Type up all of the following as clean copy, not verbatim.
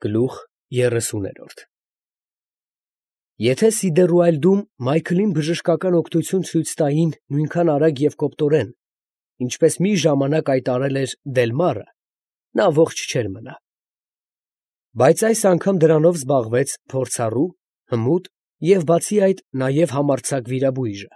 Գլուխ 30-րդ Եթե Սիդերուայլդում Մայքլին բժշկական օգնություն ցույց տային նույնքան արագ և կոպտորեն, ինչպես մի ժամանակ այդ արել էր Դելմարը, նա ողջ չէր մնա. բայց այս անգամ դրանով զբաղվեց փորձառու, հմուտ և բացի այդ նաև համարձակ վիրաբույժը։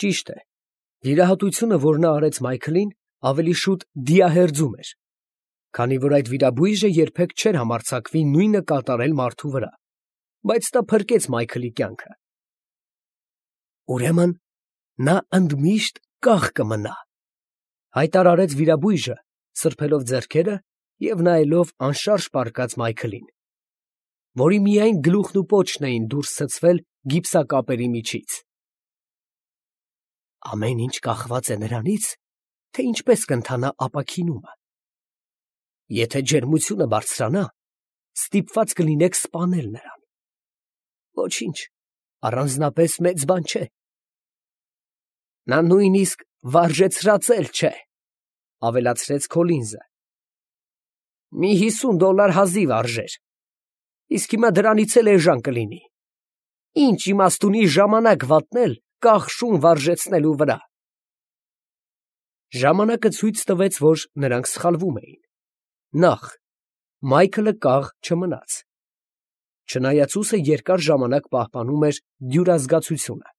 Ճիշտ է, վիրահատությունը, որ նա արեց Մայքլին, ավելի շուտ դիահերձում էր, քանի որ այդ վիրաբույժը երբեք չէր համարձակվի նույնը կատարել մարդու վրա, բայց դա փրկեց Մայքլի կյանքը։ Ուրեմն նա ընդմիշտ կախ կմնա, հայտարարեց վիրաբույժը, սրբելով ձեռքերը և նայելով անշարժ պառկած Մայքլին, որի միայն գլուխն ու պոչն էին դուրս ցցվել գիպսակապերի միջից։ Ամեն ինչ կախված է նրանից, թե ինչպես կընթանա ապաքինումը։ Եթե ջերմությունը բարձրանա, ստիպված կլինեք սպանել նրան։ Ոչինչ, առանձնապես մեծ բան չէ։ Նա նույնիսկ վարժեցրած էլ չէ, ավելացրեց Քոլինզը։ Մի $50 հազիվ արժեր, իսկ հիմա դրանից էլ էժան կլինի։ Ինչ իմաստ ունի ժամանակ վատնել կախ շուն վարժեցնելու վրա։ Ժամանակը ցույց տվեց, որ նրանք սխալվում էին։ Նախ, Մայքլը կաղ չմնաց, չնայած ուսը երկար ժամանակ պահպանում էր դյուրազգացությունը,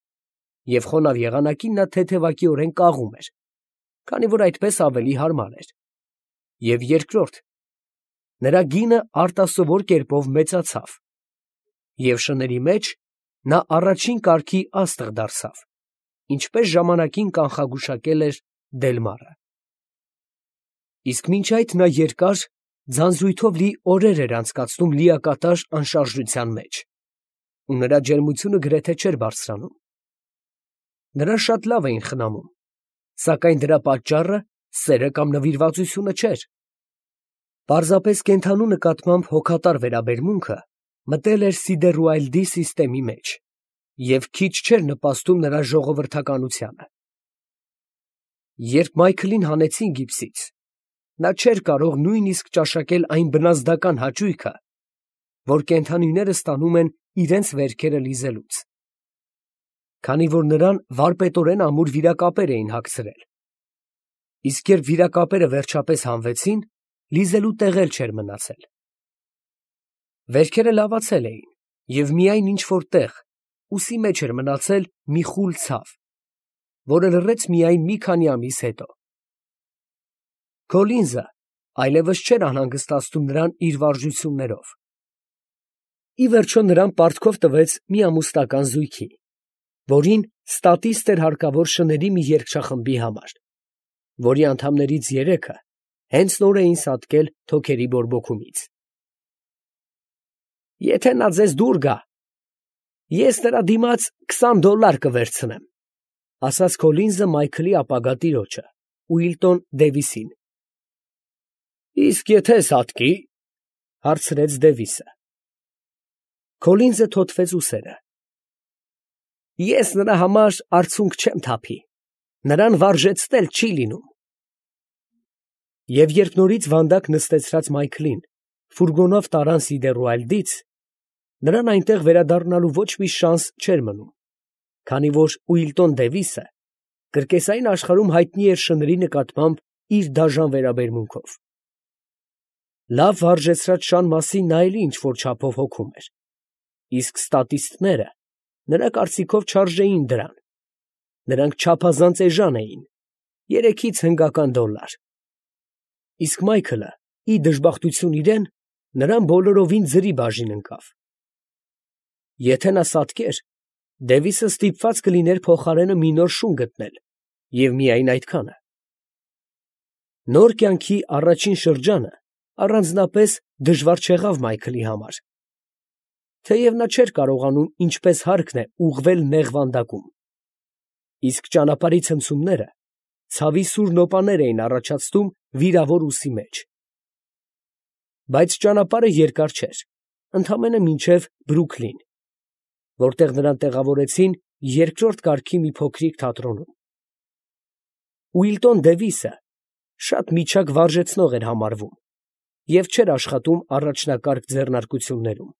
և խոնավ եղանակին նա թեթևակիորեն կաղում էր, քանի որ այդպես ավելի հարմար էր։ Եվ երկրորդ, նրա գինը արտասովոր կերպով մեծացավ, և շների մեջ նա առաջին կարգի աստղ դարձավ, ինչպես ժամանակին կանխագուշակել էր Դելմարը։ Իսկ մինչ այդ նա երկար, ձանձրույթով լի օրեր էր անցկացնում լիակատար անշարժության մեջ, ու նրա ջերմությունը գրեթե չէր բարձրանում։ Նրան շատ լավ էին խնամում, սակայն դրա պատճառը սերը կամ նվիրվածությունը չէր։ Պարզապես կենդանու նկատմամբ հոգատար վերաբերմունքը մտել էր Սիդերուայլդի սիստեմի մեջ և քիչ չէր նպաստում նրա ժողովրդականությանը։ Երբ Մայքլին հանեցին գիպսից, նա չէր կարող նույնիսկ ճաշակել այն բնազդական հաճույքը, որ կենդանիները ստանում են իրենց վերքերը լիզելուց, քանի որ նրան վարպետորեն ամուր վիրակապեր էին հագցրել, իսկ երբ վիրակապերը վերջապես հանվեցին, լիզելու տեղ էլ չէր մնացել։ Վերքերը լավացել էին, և միայն ինչ-որ տեղ, ուսի մեջ էր մնացել մի խուլ ցավ, որը լռեց միայն մի քանի ամիս հետո։ Քոլինզը այլևս չէր անհանգստացնում նրան իր վարժություններով։ Ի վերջո նրան պարտքով տվեց մի ամուսնական զույգի, որին ստատիստ էր հարկավոր շների մի երգչախմբի համար, որի անդամներից երեքը հենց նոր էին սատկել թոքերի բորբոքումից։ Եթե նա ձեզ դուր գա, ես նրա դիմաց $20 կվերցնեմ, ասաց Քոլինզը Մայքլի ապագա տիրոջը, Ուիլտոն Դևիսին։ Իսկ եթե սատկի, հարցրեց Դևիսը։ Քոլինզը թոթվեց ուսերը։ Ես նրա համար արցունք չեմ թափի, նրան վարժեցնել չի լինում։ Եվ երբ նորից վանդակ նստեցրած Մայքլին ֆուրգոնով տարան Սիդերուայլդից, նրան այնտեղ վերադառնալու ոչ մի շանս չէր մնում, քանի որ Ուիլտոն Դևիսը կրկեսային աշխարհում հայտնի էր շների նկատմամբ իր դաժան վերաբերմունքով։ Լավ վարժեցրած շան մասին նա էլի ինչ֊որ չափով հոգում էր, իսկ ստատիստները նրա կարծիքով չարժեին դրան, նրանք չափազանց էժան էին, 3-ից հնգական $։ Իսկ Մայքլը, ի դժբախտություն իրեն, նրան բոլորովին ձրի բաժին ընկավ։ Եթե նա սատկեր, Դևիսը ստիպված կլիներ փոխարենը մի նոր շուն գտնել, և միայն այդքանը։ Նոր կյանքի առաջին շրջանը առանձնապես դժվար չեղավ Մայքլի համար, թեև նա չէր կարողանում ինչպես հարկն է ուղղվել նեղ վանդակում, իսկ ճանապարհի ցնցումները ցավի սուր նոպաներ էին առաջացնում վիրավոր ուսի մեջ։ Բայց ճանապարհը երկար չէր, ընդամենը մինչև Բրուքլին, որտեղ նրան տեղավորեցին երկրորդ կարգի մի փոքրիկ թատրոնում։ Ուիլտոն Դևիսը շատ միջակ վարժեցնող էր համարվում և չէր աշխատում առաջնակարգ ձեռնարկություններում։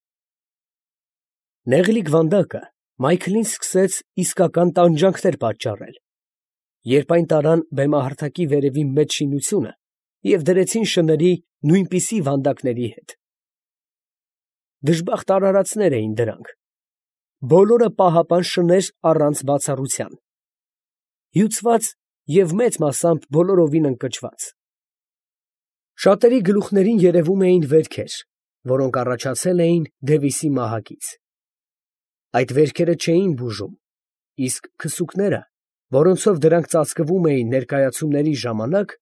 Նեղլիկ վանդակը Մայքլին սկսեց իսկական տանջանքներ պատճառել, երբ այն տարան բեմահարթակի վերևի մեծ շինությունը և դրեցին շների նույնպիսի վանդակների հետ։ Դժբախտ արարածներ էին դրանք, բոլորը պահապան շներ առանց բացառության, հյուծված և մեծ մասամբ բոլորովին ընկճված։ Շատերի գլուխներին երևում էին վերքեր, որոնք առաջացել էին Դևիսի մահակից։ Այդ վերքերը չէին բուժում, իսկ քսուկները, որոնցով դրանք ծածկվում էին ներկայացումների ժամանակ,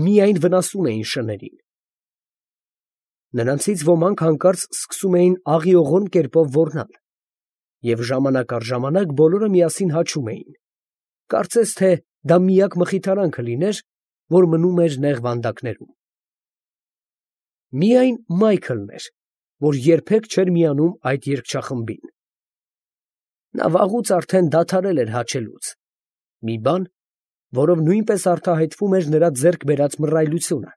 միայն վնասում էին շներին։ Նրանցից ոմանք հանկարծ սկսում էին աղիողորմ կերպով ոռնալ, և ժամանակ առ ժամանակ բոլորը միասին հաչում էին, կարծես թե դա միակ մխիթարանքը լիներ, որ մնում էր նեղ վանդակներում։ Միայն Մայքլն էր, որ երբեք չէր միանում այդ երգչախմբին։ Նա վաղուց արդեն դադարել էր հաչելուց, մի բան, որով նույնպես արտահայտվում էր նրա ձեռք բերած մռայլությունը։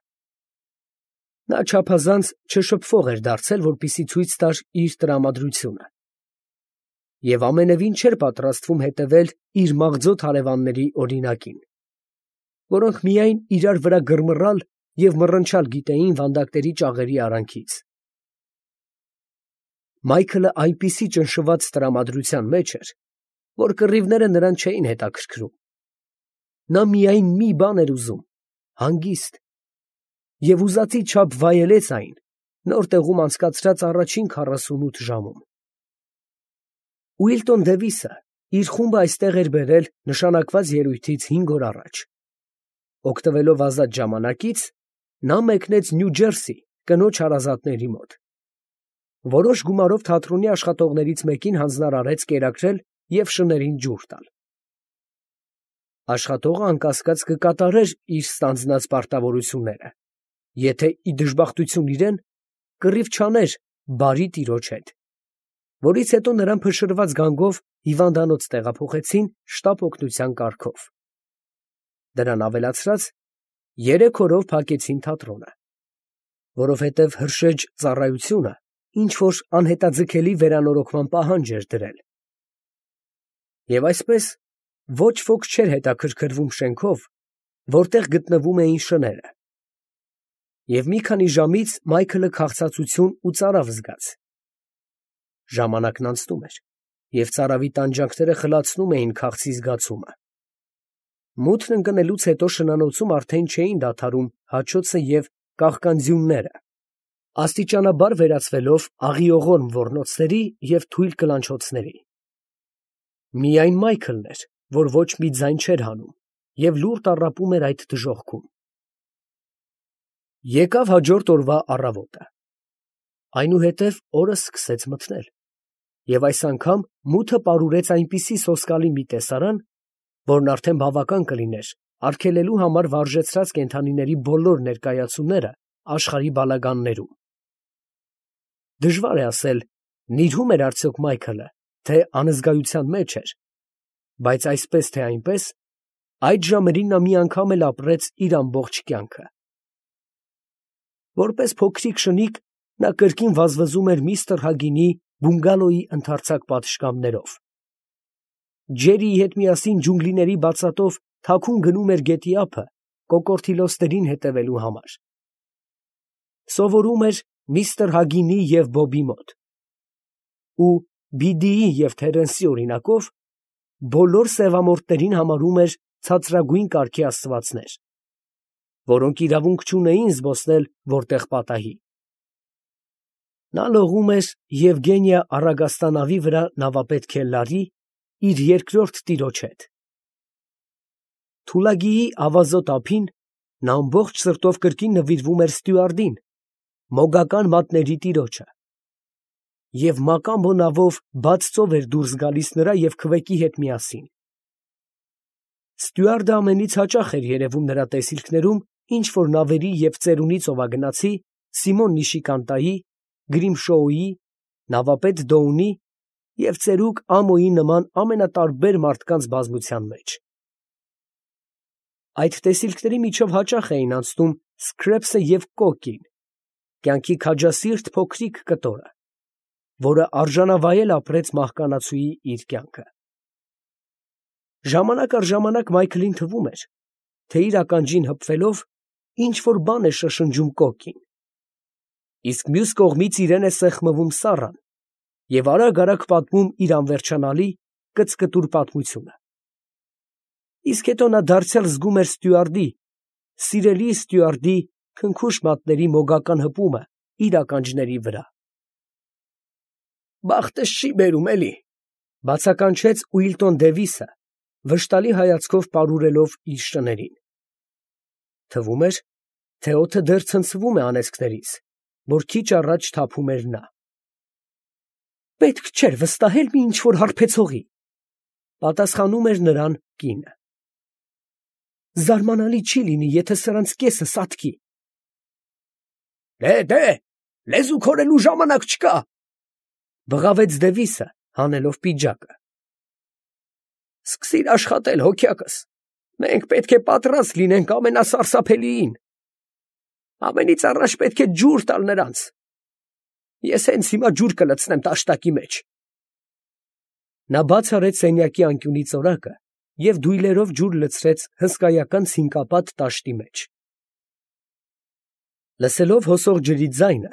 Նա չափազանց չշփվող էր դարձել, որպեսզի ցույց տար իր տրամադրությունը, և ամենևին չէր պատրաստվում հետևել իր մաղձոտ հարևանների օրինակին, որոնք միայն իրար վրա գրմռալ և մռնչալ գիտեին վանդակների ճաղերի արանքից։ Մայքլը այնպիսի ճնշված տրամադրության մեջ էր, որ կռիվները նրան չէին հետաքրքրում։ Նա միայն մի բան էր ուզում՝ հանգիստ, և ուզածի չափ վայելեց այն նոր տեղում անցկացրած առաջին 48 ժամում։ Ուիլտոն Դևիսը իր խումբը այստեղ էր բերել նշանակված ելույթից 5 օր առաջ։ Օգտվելով ազատ ժամանակից, նա մեկնեց Նյու Ջերսի կնոջ հարազատների մոտ։ Որոշ գումարով թատրոնի աշխատողներից մեկին հանձնարարեց կերակրել և շներին ջուր տալ։ Աշխատողը անկասկած կկատարեր իր ստանձնած պարտավորությունները, եթե ի դժբախտություն իրեն կռիվ չաներ բարի տիրոջ հետ, որից հետո նրան փշրված գանգով հիվանդանոց տեղափոխեցին շտապ օգնության կարգով։ Դրան ավելացրած, 3 օրով փակեցին թատրոնը, որովհետև հրշեջ ծառայությունը ինչ֊որ անհետաձգելի վերանորոգման պահանջ էր դրել։ Եվ այսպես ոչ ոք չէր հետաքրքրվում շենքով, որտեղ գտնվում էին շները։ Եվ մի քանի ժամից Մայքլը քաղցածություն ու ծարավ զգաց։ Ժամանակն անցնում էր, և ծարավի տանջանքները խլացնում էին քաղցի զգացումը։ Մութն ընկնելուց հետո շնանոցում արդեն չէին դադարում հաչոցը և կաղկանձյունները, աստիճանաբար վերածվելով աղիողորմ ոռնոցների և թույլ կլանչոցների։ Միայն Մայքլն էր, որ ոչ մի ձայն չէր հանում և լուռ տառապում էր այդ դժոխքում։ Եկավ հաջորդ օրվա առավոտը։ Այնուհետև օրը սկսեց մթնել, և այս անգամ մութը պարուրեց այնպիսի սոսկալի մի տեսարան, որն արդեն բավական կլիներ արգելելու համար վարժեցրած կենդանիների բոլոր ներկայացումները աշխարհի բալագաններում։ Դժվար է ասել, նիրհու՞մ էր արդյոք Մայքլը, թե անզգայության մեջ էր, բայց այսպես թե այնպես, այդ ժամերին նա մի անգամ էլ ապրեց իր ամբողջ կյանքը։ Որպես փոքրիկ շնիկ նա կրկին վազվզում էր միստր Հագինի բունգալոյի ընդարձակ պատշգամբներով։ Ջերիի հետ միասին ջունգլիների բացատով թաքուն գնում էր գետի ափը կոկորդիլոսներին հետևելու համար։ Սովորում էր միստր Հագինի և Բոբի մոտ ու Բիդիի և Թերենսի օրինակով բոլոր սևամորթներին համարում էր ցածրագույն կարգի աստվածներ, որոնք իրավունք չունեին զբոսնել որտեղ պատահի։ Նա լողում էր Եվգենիա Առագաստա նավի վրա նավապետ Քելլարի, իր երկրորդ տիրոջ հետ։ Թուլագիի ավազոտ ափին նա ամբողջ սրտով կրկին նվիրվում էր ստյուարդին, մոգական մատների տիրոջը, և մակամբո նավով բաց ծով էր դուրս գալիս նրա և քվեկի հետ միասին։ Ստյուարդը ամենից հաճախ էր երևում նրա տեսիլքներում ինչ֊որ նավերի և ծերունի ծովագնացի Սիմոն Նիշիկանտայի, Գրիմշոուի, նավապետ Դոունի և ծերուկ Ամոյի նման ամենատարբեր մարդկանց բազմության մեջ։ Այդ տեսիլքների միջով հաճախ էին անցնում Սքրեփսը և Կոկին, կյանքի քաջասիրտ փոքրիկ կտորը, որը արժանավայել ապրեց մահկանացուի իր կյանքը։ Ժամանակ առ ժամանակ Մայքլին թվում էր, թե իր ականջին հպվելով ինչ որ բան է շշնջում կոկին, իսկ մյուս կողմից իրեն է սեղմվում Սառան և արագ պատմում իր անվերջանալի կծկտուր պատմությունը։ Իսկ հետո նա դարձյալ զգում էր ստյուարդի, սիրելի ստյուարդի քնքուշ մատների մոգական հպումը իր ականջների վրա։ «Բախտս չի բերում, էլի», բացականչեց Ուիլտոն Դևիսը, վշտալի հայացքով պարուրելով իր շներին։ Թվում էր, թե օդը դեռ ցնցվում է անեծքներից, որ քիչ առաջ թափում էր նա։ «Պետք չէր վստահել մի ինչ-որ հարբեցողի», պատասխանում էր նրան կինը։ «Զարմանալի չի լինի, եթե սրանց կեսը սատկի»։ Դե, լեզու քորելու ժամանակ չկա, բղավեց Դևիսը, հանելով պիջակը։ Սկսիր աշխատել, հոգյակս, մենք պետք է պատրաստ լինենք ամենասարսափելիին։ Ամենից առաջ պետք է ջուր տալ նրանց։ Ես հենց հիմա ջուր կլցնեմ տաշտակի մեջ։ Նա բաց արեց սենյակի անկյունի ծորակը և դույլերով ջուր լցրեց հսկայական ցինկապատ տաշտի մեջ։ Լսելով հոսող ջրի ձայնը,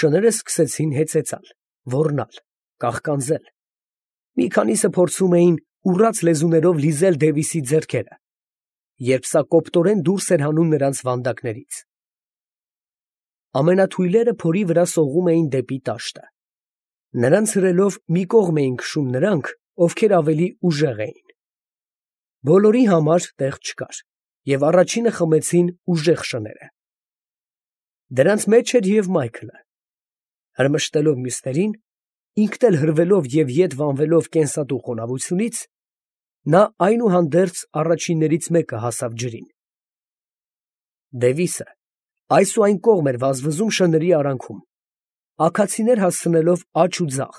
շները սկսեցին հեծեծալ, ոռնալ, կաղկանձել։ Մի քանիսը փորձում էին ուռած լեզուներով լիզել Դևիսի ձեռքերը, երբ սա կոպտորեն դուրս էր հանում նրանց վանդակներից։ Ամենաթույլերը փորի վրա սողում էին դեպի տաշտը։ Նրանց հրելով մի կողմ էին քշում նրանք, ովքեր ավելի ուժեղ էին։ Բոլորի համար տեղ չկար, և առաջինը խմեցին ուժեղ շները։ Դրանց մեջ էր և Մայքլը։ Հրմշտելով մյուսներին, ինքն էլ հրվելով և ետ վանվելով կենսատու խոնավությունից, նա այնուհանդերձ առաջիններից մեկը հասավ ջրին։ Դևիսը այս ու այն կողմ էր վազվզում շների արանքում, աքացիներ հասցնելով աջ ու ձախ,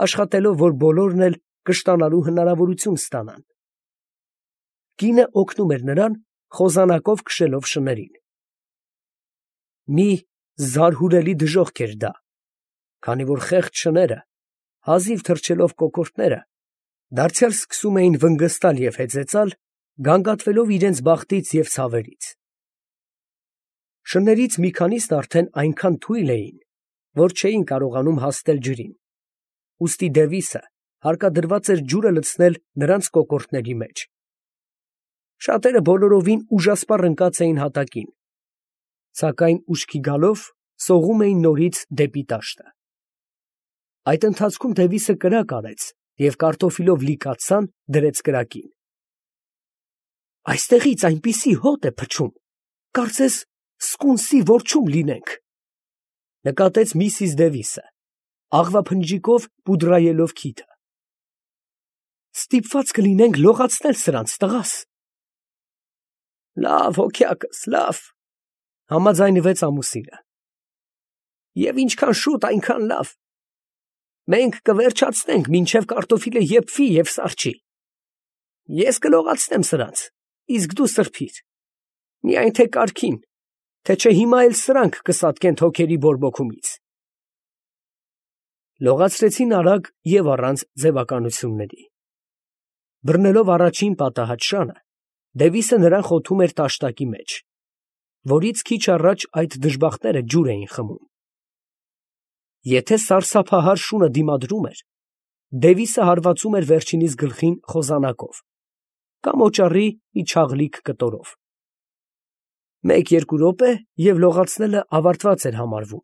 աշխատելով, որ բոլորն էլ կշտանալու հնարավորություն ստանան։ Կինը օգնում էր նրան, խոզանակով քշելով շներին։ Մի զարհուրելի դժոխք էր դա, քանի որ խեղճ շները, հազիվ թռչելով կոկորդները, դարձյալ սկսում էին վնգստալ և հեծեծալ, գանգատվելով իրենց բախտից և ցավերից։ Շներից մի քանիսն արդեն այնքան թույլ էին, որ չէին կարողանում հասնել ջրին, ուստի Դևիսը հարկադրված էր ջուրը լցնել նրանց կոկորդների մեջ։ Շատերը բոլորովին ուժասպառ ընկած էին հատակին, սակայն ուշքի գալով սողում էին նորից դեպի տաշտը։ Այդ ընթացքում Դևիսը կրակ արեց և կարտոֆիլով լի կաթսան դրեց կրակին։ Այստեղից այնպիսի հոտ է փչում, կարծես սկունսի որջում լինենք, նկատեց միսիս Դևիսը, աղվափնջիկով պուդրայելով քիթը։ Ստիպված կլինենք լողացնել սրանց, տղաս։ Լավ, հոգյակս, լավ, համաձայնվեց ամուսինը։ Եվ ինչքան շուտ, այնքան լավ։ Մենք կվերջացնենք, մինչև կարտոֆիլը եփվի և սառչի։ Ես կլողացնեմ սրանց, իսկ դու սրբիր։ Միայն թե կարգին, թե չէ հիմա էլ սրանք կսատկեն թոքերի բորբոքումից։ Լողացրեցին արագ և առանց ձևականությունների։ Բռնելով առաջին պատահած շանը, Դևիսը նրան խոթում էր տաշտակի մեջ, որից քիչ առաջ այդ դժբախտները ջուր էին խմում։ Եթե սարսափահար շունը դիմադրում էր, Դևիսը հարվածում էր վերջինիս գլխին խոզանակով կամ օճառի մի չաղլիկ կտորով։ 1-2 րոպե և լողացնելը ավարտված էր համարվում։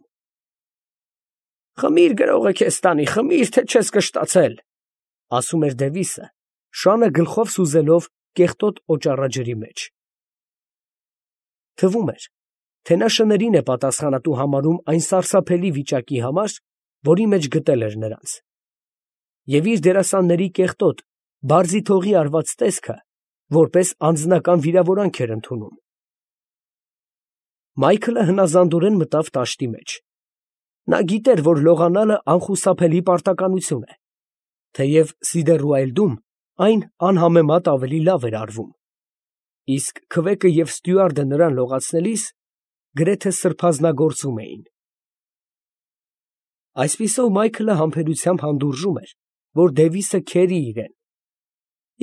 Խմիր, գրողը քեզ տանի, խմիր, թե չես կշտացել, ասում էր Դևիսը, շանը գլխով սուզելով կեղտոտ օճառաջրի մեջ։ Թվում էր, թե նա շներին է պատասխանատու համարում այն սարսափելի վիճակի համար, որի մեջ գտել էր նրանց, և իր դերասանների կեղտոտ, բարձիթողի արված տեսքը որպես անձնական վիրավորանք էր ընդունում։ Մայքլը հնազանդորեն մտավ տաշտի մեջ։ Նա գիտեր, որ լողանալը անխուսափելի պարտականություն է, թեև Սիդեռուայլդում այն անհամեմատ ավելի լավ էր արվում, իսկ քվեկը և ստյուարդը նրան լողացնելիս գրեթե սրբազնագործում էին։ Այսպիսով Մայքլը համբերությամբ հանդուրժում էր, որ Դևիսը քերի իրեն,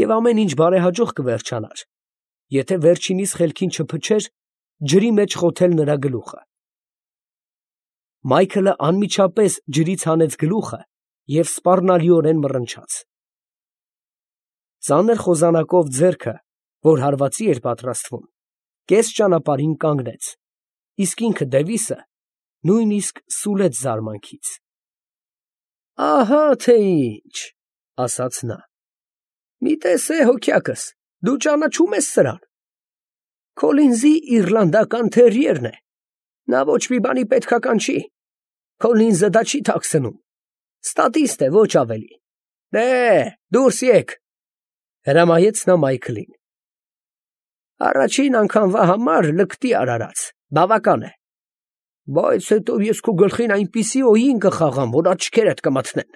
և ամեն ինչ բարեհաջող կվերջանար, եթե վերջինիս խելքին չփչեր ջրի մեջ խոթել նրա գլուխը։ Մայքլը անմիջապես ջրից հանեց գլուխը և սպառնալիորեն մռնչաց։ Ծանր խոզանակով ձեռքը, որ հարվածի էր պատրաստվում, կես ճանապարհին կանգնեց, իսկ ինքը Դևիսը նույնիսկ սուլեց զարմանքից։ «Ահա թե ինչ, ֊ ասաց նա, ֊ մի տեսե հոգյակս, դու ճանաչում ես սրան. Քոլինզի իռլանդական թերիերն է, նա ոչ մի բանի պետքական չի, Քոլինզը դա չի թաքցնում, ստատիստ է, ոչ ավելի։ Դուրս եկ, ֊ հրամայեց նա Մայքլին։ Առաջին անգամվա համար լկտի արարած, բավական է, բայց հետո ես քո գլխին այնպիսի օին կխաղամ, որ աչքերդ կմթնեն։